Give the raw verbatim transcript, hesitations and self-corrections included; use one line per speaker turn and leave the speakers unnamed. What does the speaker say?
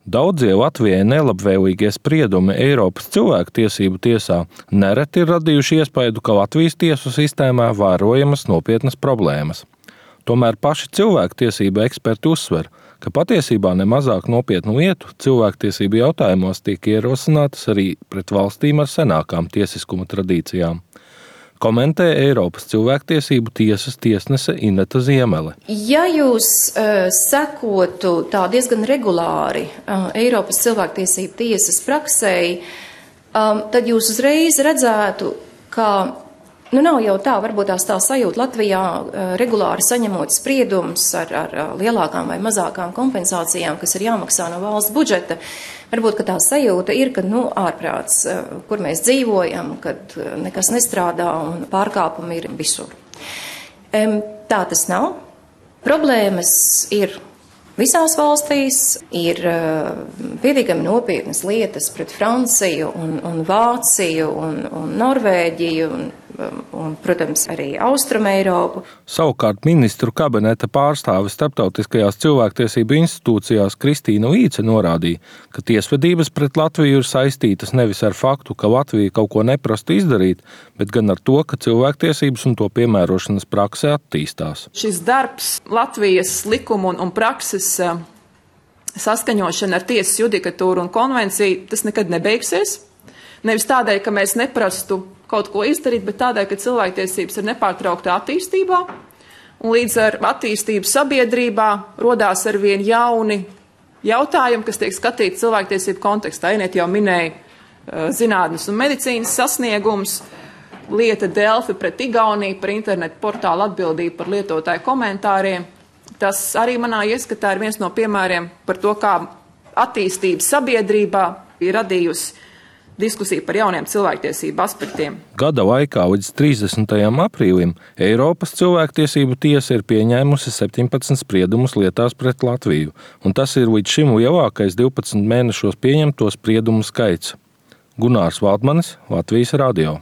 Daudzie Latvijai nelabvēlīgie spriedumi Eiropas cilvēktiesību tiesā nereti ir radījuši iespaidu, ka Latvijas tiesu sistēmā vērojamas nopietnas problēmas. Tomēr paši cilvēktiesību eksperti uzsver, ka patiesībā nemazāk nopietnu lietu cilvēktiesību jautājumos tiek ierosinātas arī pret valstīm ar senākām tiesiskuma tradīcijām. Komentē Eiropas cilvēktiesību tiesas tiesnese Ineta Ziemele.
Ja jūs uh, sekotu tā diezgan regulāri uh, Eiropas cilvēktiesību tiesas praksei, um, tad jūs uzreiz redzētu, ka nu nav jau tā, varbūt tās tā sajūta Latvijā uh, regulāri saņemot spriedumus ar, ar lielākām vai mazākām kompensācijām, kas ir jāmaksā no valsts budžeta. Varbūt, ka tā sajūta ir, ka, nu, ārprāts, kur mēs dzīvojam, kad nekas nestrādā un pārkāpumi ir visur. Tā tas nav. Problēmas ir visās valstīs, ir pietiekami nopietnas lietas pret Franciju un, un Vāciju un, un Norvēģiju un, un, protams, arī Austrumeiropu.
Savukārt ministru kabineta pārstāve starptautiskajās cilvēktiesību institūcijās Kristīna Līce norādīja, ka tiesvedības pret Latviju ir saistītas nevis ar faktu, ka Latvija kaut ko neprastu izdarīt, bet gan ar to, ka cilvēktiesības un to piemērošanas prakse attīstās.
Šis darbs Latvijas likumu un, un prakses saskaņošana ar tiesas judikatūru un konvenciju, tas nekad nebeigsies. Nevis tādēļ, ka mēs neprastu kaut ko izdarīt, bet tādēļ, ka cilvēktiesības ir nepārtrauktā attīstībā, un līdz ar attīstību sabiedrībā rodās arvien jauni jautājumi, kas tiek skatīti cilvēktiesību kontekstā. Inet jau minēja uh, zinātnes un medicīnas sasniegums, lieta Delfi pret Igauniju par internetu portālu atbildību par lietotāju komentāriem. Tas arī manā ieskatā ir viens no piemēriem par to, kā attīstība sabiedrībā ir radījusi diskusija par jauniem cilvēktiesību aspektiem.
Gada laikā līdz trīsdesmitajam aprīlim Eiropas cilvēktiesību tiesa ir pieņēmusi septiņpadsmit spriedumus lietās pret Latviju, un tas ir līdz šim lielākais divpadsmit mēnešos pieņemto spriedumu skaits. Gunārs Valdmanis, Latvijas radio.